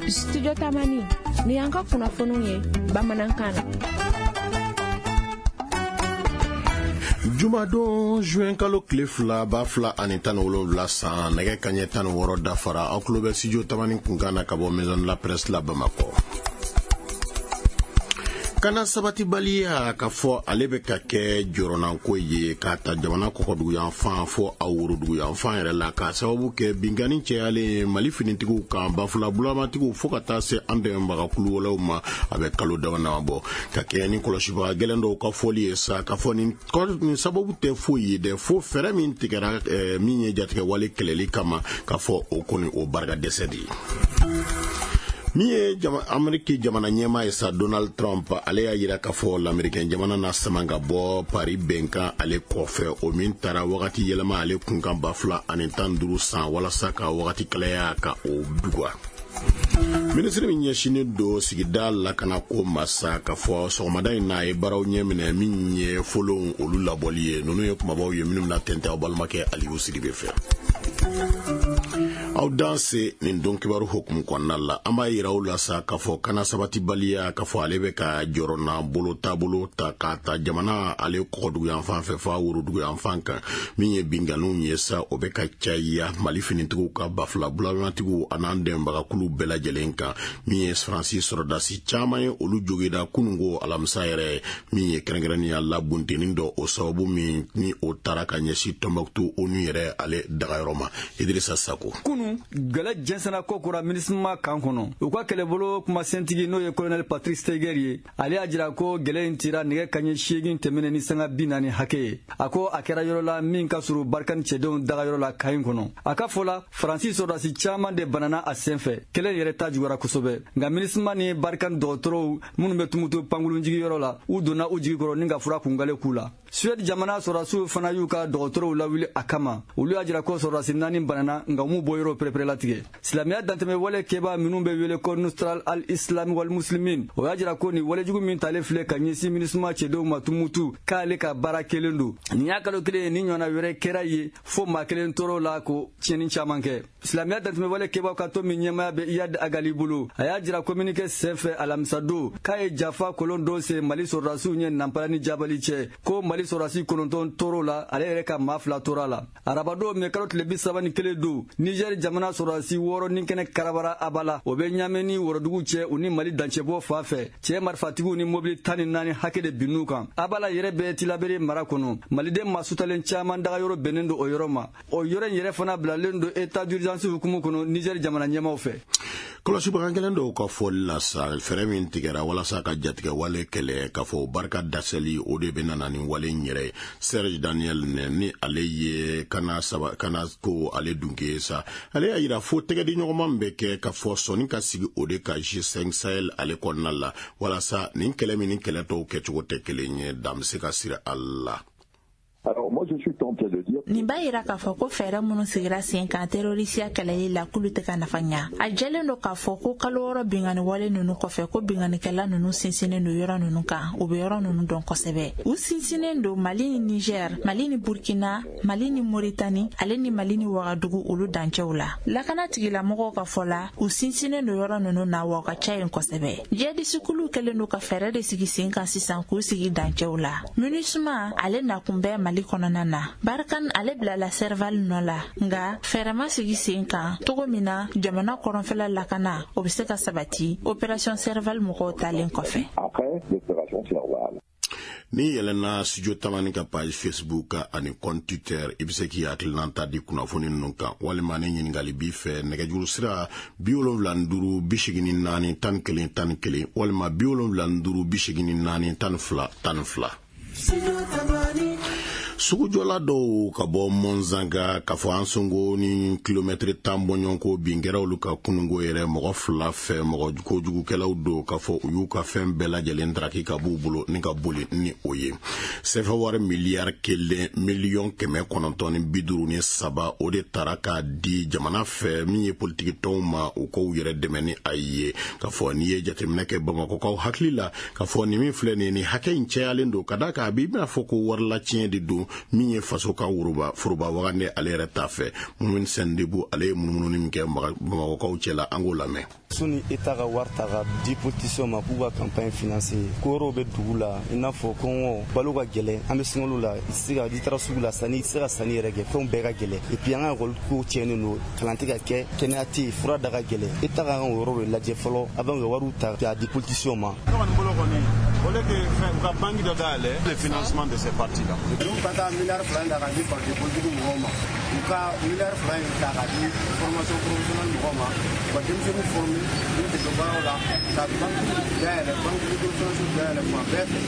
Studio Tamani, ni y'an ka kunnafoniw ye bamanankan na. Jumadon juin kalo tile 2 2017 san, nɛgɛ kaɲɛ 16 dafara. Aw tulo bɛ Studio Tamani kunkan na ka bɔ Maison de la Presse la Bamakɔ. Kana sabatibaliya ka fɔ ale bɛ ka kɛ jɔrɔnanko ye k'a ta jamana kɔkɔduguyanfan fɔ a woroduguyanfan yɛrɛ la, k'a sababu kɛ binkanni cayalen Mali finitigiw kan, bafula bulamatigiw fo ka taa se an dɛmɛbaga kuluwalaw ma. A bɛ kalo dama dama bɔ, ka kɛɲɛ ni kɔlɔsibaga gɛlɛn dɔw ka fɔli ye sa, ka fɔ nin sababu tɛ foyi ye dɛ, fo fɛɛrɛ min tigɛra min ye jatigɛwale kɛlɛli kama, ka fɔ o kɔni o barika dɛsɛ de ye. Min ye Ameriki jamana ɲɛmaa ye sa, Donald Trump, ale y'a yira k'a fɔ lamɛrikɛn jamana na sama ka bɔ Paris bɛnkan ale kɔfɛ, o min taara wagati yɛlɛma ale kunkan 2015 san, walasa ka wagati kalaya ka o duga. Minisiri min ɲɛsinnen don sigida lakanako ma sa, k'a fɔ sɔgɔmada in na a ye baaraw ɲɛminɛ min ye folonw olu labɔli ye. Ninnu ye kumabaw ye minnu bɛna tɛntɛn aw balimakɛ Aliyu Sidibe fɛ. Aw danse nin don kibaru hukumu kɔnɔna la, an b'a yira aw la sa k'a fɔ kana sabatibaliya k'a fɔ ale bɛ ka jɔrɔna bolo taabolo ta k'a ta jamana ale kɔkɔduguyanfan fɛ fo a woroduguyanfan kan. Min ye binkanniw ye sa, o bɛ ka caya Mali finitigiw ka bafula bulamatigiw an'an dɛmɛbagakulu bɛɛ lajɛlen kan. Min ye Faransi sɔrɔdasi caman ye, olu joginda kununko alamisa yɛrɛ, min ye kɛrɛnkɛrɛnnenya la buntenni dɔ, o sababu min ni o taara ka ɲɛsin Tɔnbɔkutu ONU yɛrɛ ale dagayɔrɔ ma. Idrissa Sako. Kunu gɛlɛ jɛnsɛnna ko kura MINUSMA kan kɔnɔ. U ka kɛlɛbolo kumasentigi n'o ye colonel Patrick Steger ye, ale y'a jira ko gɛlɛ in tira nɛgɛ kaɲɛ 8 tɛmɛnen ni sanga 40 hakɛ ye. A ko a kɛra yɔrɔ la min ka surun Barkhane cɛdenw dagayɔrɔ la kan in kɔnɔ. A ka fɔ la, Faransi sɔrɔdasi caman de banana a senfɛ. Kɛlɛ in yɛrɛ ta juguyara kosɛbɛ. Nka MINUSMA ni Barkhane dɔgɔtɔrɔw minnu bɛ Tumutu pankurunjigiyɔrɔ la, u donna u jigi kɔrɔ ni ka fura kungale k'u la. Suède jamana sɔrɔdasiw fana y'u ka dɔgɔtɔrɔw lawuli a kama. Olu y'a jira ko sɔrɔdasi 4 banana, nka u m'u bɔ yɔrɔ pereperelatigɛ. Silamɛya dantɛmɛ wale kɛbaa minnu bɛ wele ko Nusral al-Islam wal Muslimin, o y'a jira ko nin walejugu min talen filɛ ka ɲɛsin MINUSMA cɛdenw ma Tumutu, k'ale ka baara kelen don. Nin y'a kalo kelen ye ni ɲɔgɔnna wɛrɛ kɛra ye, fo maa kelen tɔɔrɔ la ko tiɲɛni caman kɛ. Silamɛya dantɛmɛ wale kɛbaaw ka tɔn min ɲɛmaaya bɛ Iyad Agali bolo, a y'a jira communiqué senfɛ alamisadon k'a ye jafa kolon dɔ sen Mali sɔrɔdasiw ɲɛ Nanpala ni Jabali cɛ, ko Mali sɔrɔdasi 9 tɔɔrɔ la, ale yɛrɛ ka maa 2 tora la. Arabadon mɛ kalo tile 31 don, Niger jamana sɔrɔdasi 6 ni kɛnɛ karabara Abala, o bɛ Ɲamɛ ni Worodugu cɛ, u ni Mali dancɛbɔ fan fɛ. Cɛ marifatigiw ni mobili 14 hakɛ de binn'u kan. Abala yɛrɛ bɛ Tilabere mara kɔnɔ. Maliden maa sutalen caman dagayɔrɔ bɛnnen don o yɔrɔ ma. O yɔrɔ in yɛrɛ fana bilalen don état d'urgence hukumu kɔnɔ Niger jamana ɲɛmaaw fɛ. Kɔlɔsibaga gɛlɛn dɔw ka fɔli la sa, fɛɛrɛ min tigɛra walasa ka jatigɛ wale kɛlɛ, k'a fɔ barika dasɛli o de bɛ nana ni wale in yɛrɛ ye. Serge Daniel ni ale ye kana saba kana ko ale dunke sa, ale y'a yira fo tɛgɛdiɲɔgɔnma min bɛ kɛ k'a fɔ sɔnni ka sigi o de ka G5 Sahel ale kɔnɔna la, walasa nin kɛlɛ min ni kɛlɛ tɔw kɛcogo tɛ kelen ye, dan bɛ se ka siri a la. Alors moi je suis tenté de dire Nin b'a yira k'a fɔ ko fɛɛrɛ minnu sigira sen kan terrorisiya kɛlɛli la, k'olu tɛ ka nafa ɲa. A jɛlen don k'a fɔ ko kalo 6 binkanni wale ninnu kɔfɛ, ko binkannikɛla ninnu sinsinnen don yɔrɔ ninnu kan, u bɛ yɔrɔ ninnu dɔn kosɛbɛ. U sinsinnen don Mali ni Niger, Mali ni Burkina, Mali ni Moritani, ale ni Mali ni Wagadugu olu dancɛw la. Lakana tigilamɔgɔw ka fɔ la, u sinsinnen don yɔrɔ ninnu na, wa u ka ca yen kosɛbɛ. Jihadisikuluw kɛlen don ka fɛɛrɛ de sigi sen kan sisan k'u sigi dancɛw la. MINUSMA ale nakun bɛ Mali kɔnɔna na. Barkhane ale bilala Serval nɔ la, nka fɛɛrɛ ma sigi sen kan cogo min na jamana kɔrɔnfɛla lakana o bɛ se ka sabati opération Serval mɔgɔw talen kɔfɛ. Après l'opération Serval. Ni yɛlɛnna Studio Tamani ka page Facebook ani compte Twitter, i bɛ se k'i hakilinata di kunnafoni ninnu kan, walima ni ɲininkali b'i fɛ, nɛgɛjuru sira 75 84 11 11, walima 75 84 12 12. Sugujɔla dɔw ka bɔ Mɔnzanga, k'a fɔ an songo ni kilomɛtiri 10 bɔɲɔgɔnko bin kɛra olu ka kununko yɛrɛ mɔgɔ 2 fɛ, mɔgɔ kojugukɛlaw don, k'a fɔ u y'u ka fɛn bɛɛ lajɛlen daraki ka b'u bolo ni ka boli ni o ye. Sɛfɛ wari miliyari 1 miliyɔn 953, o de tara k'a di jamana fɛ min ye politiki tɔnw ma, u k'u yɛrɛ dɛmɛ ni a ye. K'a fɔ n'i ye jateminɛ kɛ Bamakɔkaw hakili la, k'a fɔ nin min filɛ nin ye, nin hakɛ in cayalen don, ka d'a kan a b'i bɛna fɔ ko warilatiɲɛ de don. Min ye faso ka foroba wagande ale yɛrɛ ta fɛ, Mumini Sɛndebu, ale ye munumununi min kɛ Bamakɔkaw cɛla, an k'o lamɛn. Soni État ka wari ta ka di politiciens ma k'u ka campagne financer, ko wɛrɛw bɛ dugu la, i n'a fɔ kɔngɔ, balo ka gɛlɛn, an bɛ sunkalo la, i tɛ se ka, n'i taara sugu la, sanni, i tɛ se ka sanni yɛrɛ kɛ, fɛnw bɛɛ ka gɛlɛn. Et puis an ka école ko tiɲɛnen don, kalan tɛ ka kɛ, kɛnɛya tɛ yen, fura da ka gɛlɛn. État ka kan k'o yɔrɔ de lajɛ fɔlɔ avant ka wariw ta k'a di politiciens ma. Ne kɔni bolo kɔni, au lieu que fɛn u ka banque dɔ dayɛlɛ, le financement de ces partis là. Donc ka taa miliyari 2 in ta ka di parti politique mɔgɔw ma, u ka miliyari 2 in ta ka di formation professionnelle mɔgɔw ma, u ka denmisɛnninw former k'u dege baaraw la, ka banque dayɛlɛ, banque microfinance dayɛlɛ fan bɛɛ fɛ,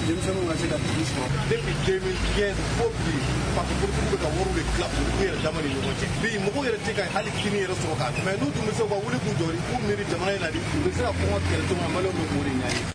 denmisɛnninw ka se ka dugu sɔrɔ. Depuis 2015 fo bi, parti politique bɛ ka wariw de tila u yɛrɛ dama ni ɲɔgɔn cɛ. Bi mɔgɔw yɛrɛ tɛ ka hali kini yɛrɛ sɔrɔ k'a dun, mais n'u tun bɛ se u ka wuli k'u jɔ, k'u miiri jamana in na di, u bɛ se ka kɔngɔ kɛlɛ cogo min na, Maliyɛnw bɛ k'o de ɲɛɲini.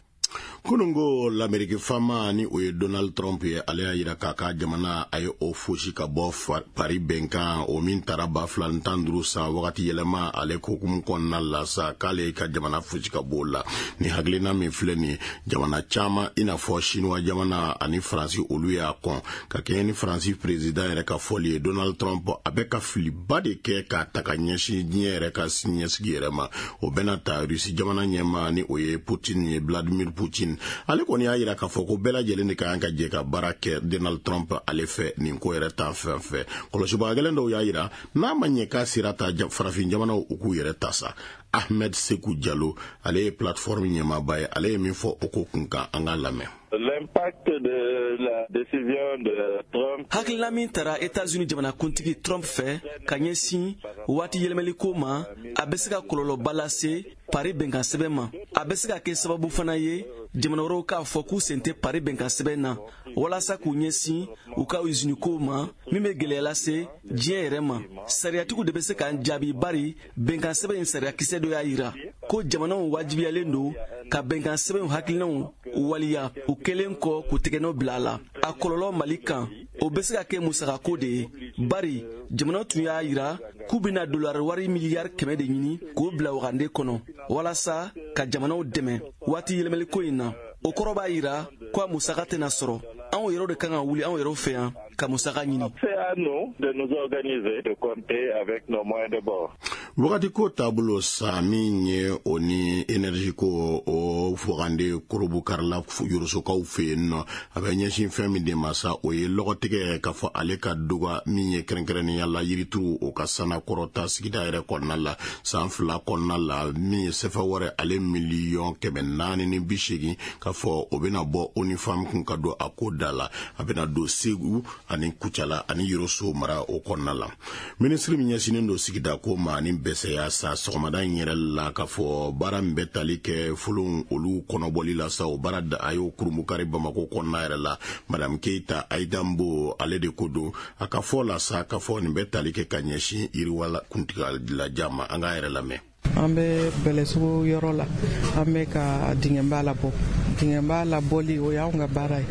Kununko, Lameriki fama ni o ye Donald Trump ye, ale y'a yira k'a ka jamana a ye o fosi ka bɔ Paris bɛnkan o min taara 2015 san wagati yɛlɛma ale kokumu kɔnɔna la sa, k'ale ka jamana fosi ka bɔ o la. Ni hakilina min filɛ nin ye, jamana caman i n'a fɔ Sinuwa jamana ani Faransi, olu y'a kɔn. Ka kɛɲɛ ni Faransi président yɛrɛ ka fɔli ye, Donald Trump a bɛ ka filiba de kɛ k'a ta ka ɲɛsin diɲɛ yɛrɛ ka siniɲɛsigi yɛrɛ ma. O bɛna ta Rusi jamana ɲɛma ni o ye Putin ye, Vladimir Putin, ale kɔni y'a yira k'a fɔ ko bɛɛ lajɛlen de ka kan ka jɛ ka baara kɛ Donald Trump ale fɛ nin ko yɛrɛ ta fɛn fɛ. Kɔlɔsibaga gɛlɛn dɔw y'a yira n'a ma ɲɛ k'a sera ta, farafin jamanaw u k'u yɛrɛ ta sa. Ahmed Seku Jalo, ale ye plateforme ɲɛmaaba ye, ale ye min fɔ o ko kun kan, an k'a lamɛn. L'impact de la décision de Trump. Hakilina min tara Etats-Unis jamanakuntigi Trump fɛ ka ɲɛsin waati yɛlɛmɛliko ma, a bɛ se ka kɔlɔlɔba lase Paris bɛnkan sɛbɛn ma. A bɛ se ka kɛ sababu fana ye jamana wɛrɛw k'a fɔ k'u sen tɛ Paris bɛnkan sɛbɛn na, walasa k'u ɲɛsin u ka usinikow ma, min bɛ gwɛlɛya lase diɲɛ yɛrɛ ma. Sariyatigiw de bɛ se k'an jaabi, bari bɛnkan sɛbɛn in sariyakisɛ dɔ y'a yira ko jamanaw wajibiyalen don ka bɛnkan sɛbɛnw hakilinaw waliya, u kɛlen kɔ k'u tɛgɛnɔ bila a la. A kɔlɔlɔ Mali kan, o bɛ se ka kɛ musakako de ye, bari jamana tun y'a yira k'u bɛna dolari wari miliyari 100 de ɲini k'o bila wagande kɔnɔ walasa ka jamanaw dɛmɛ waati yɛlɛmaliko in na. O kɔrɔ b'a yira ko a musaka tɛna sɔrɔ. Anw yɛrɛw de kan ka wuli anw yɛrɛw fɛ yan ka musaka ɲini. C'est à nous de nous organiser, de compter avec nos moyens de bord. Wagati ko taabolo sa, min ye o ni énergie ko, o wagande korobukarila Yorosokaw fɛ yen nɔ, a bɛ ɲɛsin fɛn min de ma sa, o ye lɔgɔtigɛ k'a fɔ ale ka duga min ye, kɛrɛnkɛrɛnnenya la yirituru, o ka sana kɔrɔta sigida yɛrɛ kɔnɔna la san 2 kɔnɔna la. Min ye sɛfɛ wɛrɛ ale miliyɔn 480, k'a fɔ o bɛna bɔ ONU Femmes kun ka don a ko da la. A bɛna don Segu ani Kucala ani Yoroso mara o kɔnɔna la. Minisiri min ɲɛsinnen don sigida ko ma ani bɛsɛya sa, sɔgɔmada in yɛrɛ la, k'a fɔ baara min bɛ tali kɛ folon olu kɔnɔbɔli la sa, o baara a y'o kurumukari Bamako kɔnɔna yɛrɛ la. Madame Keita Aidambo, ale de ko don. A ka fɔ la sa, k'a fɔ nin bɛ tali kɛ ka ɲɛsin yiriwala kuntigalajan ma. An k'a yɛrɛ lamɛn. An bɛ Bɛlɛsugu yɔrɔ la, an bɛ ka dingɛba labɔ. Dingɛba labɔli, o y'anw ka baara ye.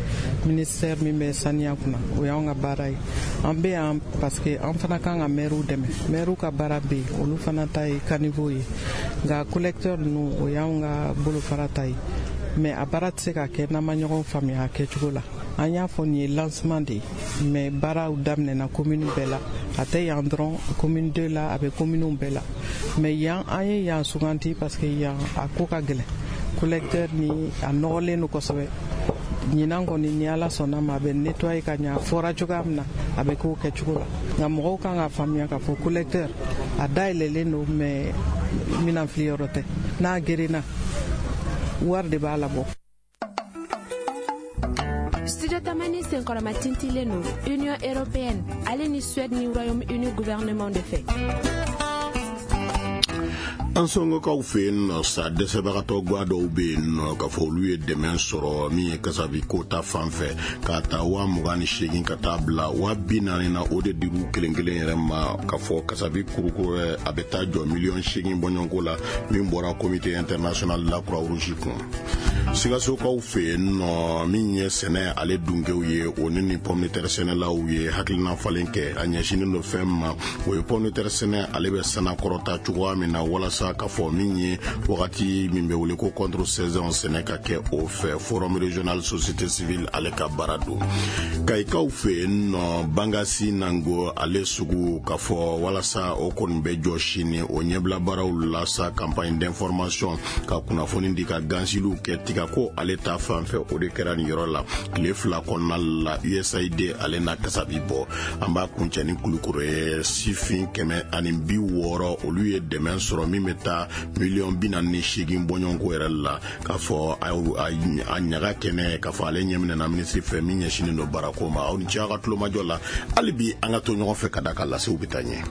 Ministère min bɛ saniya kunna, o y'anw ka baara ye. An bɛ yan parce que an fana kan ka maires dɛmɛ. Maires ka baara bɛ yen, olu fana ta ye caniveau ye, nka collecteur ninnu, o y'anw ka bolofara ta ye. Mais a baara tɛ se ka kɛ n'an ma ɲɔgɔn faamuya a kɛcogo la. An y'a fɔ nin ye lancement de ye, mais baaraw daminɛna commune bɛɛ la. A tɛ yan dɔrɔn, commune 2 la, a bɛ commune bɛɛ la. Mais yan, an ye yan suganti parce que yan a ko ka gɛlɛn, collecteur ni a nɔgɔlen don kosɛbɛ. Ɲinan kɔni, ni Ala sɔnna ma, a bɛ nettoyer ka ɲɛ. A fɔra cogoya min na, a bɛ k'o kɛcogo la. Nka mɔgɔw kan k'a faamuya k'a fɔ collecteur a dayɛlɛlen don, mais minan filiyɔrɔ tɛ. N'a gerenna, wari de b'a labɔ. Studio Tamani senkɔrɔma tintilen don Union européenne ale ni Suède ni Royaume-Uni gouvernement de fɛ. An sɔngɔkaw fɛ yen nɔ sa, dɛsɛbagatɔ gwa dɔw bɛ yen nɔ, k'a fɔ olu ye dɛmɛ sɔrɔ min ye kasabi ko ta fan fɛ, k'a ta 28,000 ka taa bila 40,000 na. O de dir'u kelen kelen yɛrɛ ma, k'a fɔ kasabi kurukuru a bɛ taa jɔ miliyɔn 8 bɔɲɔgɔnko la, min bɔra Comité international de la Croix Rouge kun. Sikasokaw fɛ yen nɔ, min ye sɛnɛ ale dunkew ye, o ni pomme de terre sɛnɛlaw ye hakilina falen kɛ. A ɲɛsinnen don fɛn ma, o ye pomme de terre sɛnɛ ale bɛ sanakɔrɔta cogoya min na, walasa sa k'a fɔ min ye wagati min bɛ wele ko contre saison sɛnɛ ka kɛ o fɛ, Forum régional société civile ale ka baara don. Kayikaw fɛ yen nɔ, Bangasi Nango ale sugu, k'a fɔ walasa o kɔni bɛ jɔ sini, o ɲɛbila baaraw la sa, campagne d'information ka kunnafoni di, ka gansiliw kɛ tiga ko ale ta fan fɛ, o de kɛra nin yɔrɔ la tile 2 kɔnɔna la. USAID ale na kasabi bɔ. An b'a kuncɛ ni Kulukoro ye. Sifin 160, olu ye dɛmɛ sɔrɔ min bɛ taa miliyɔn 48 bɔɲɔgɔnko yɛrɛ la, k'a fɔ a ɲaga kɛnɛ, k'a fɔ ale ɲɛminɛna minisiri fɛ min ɲɛsinnen don baarako ma. Aw ni ce aw ka tulomajɔ la. Hali bi an ka to ɲɔgɔn fɛ ka da ka lasew bɛ taa ɲɛ.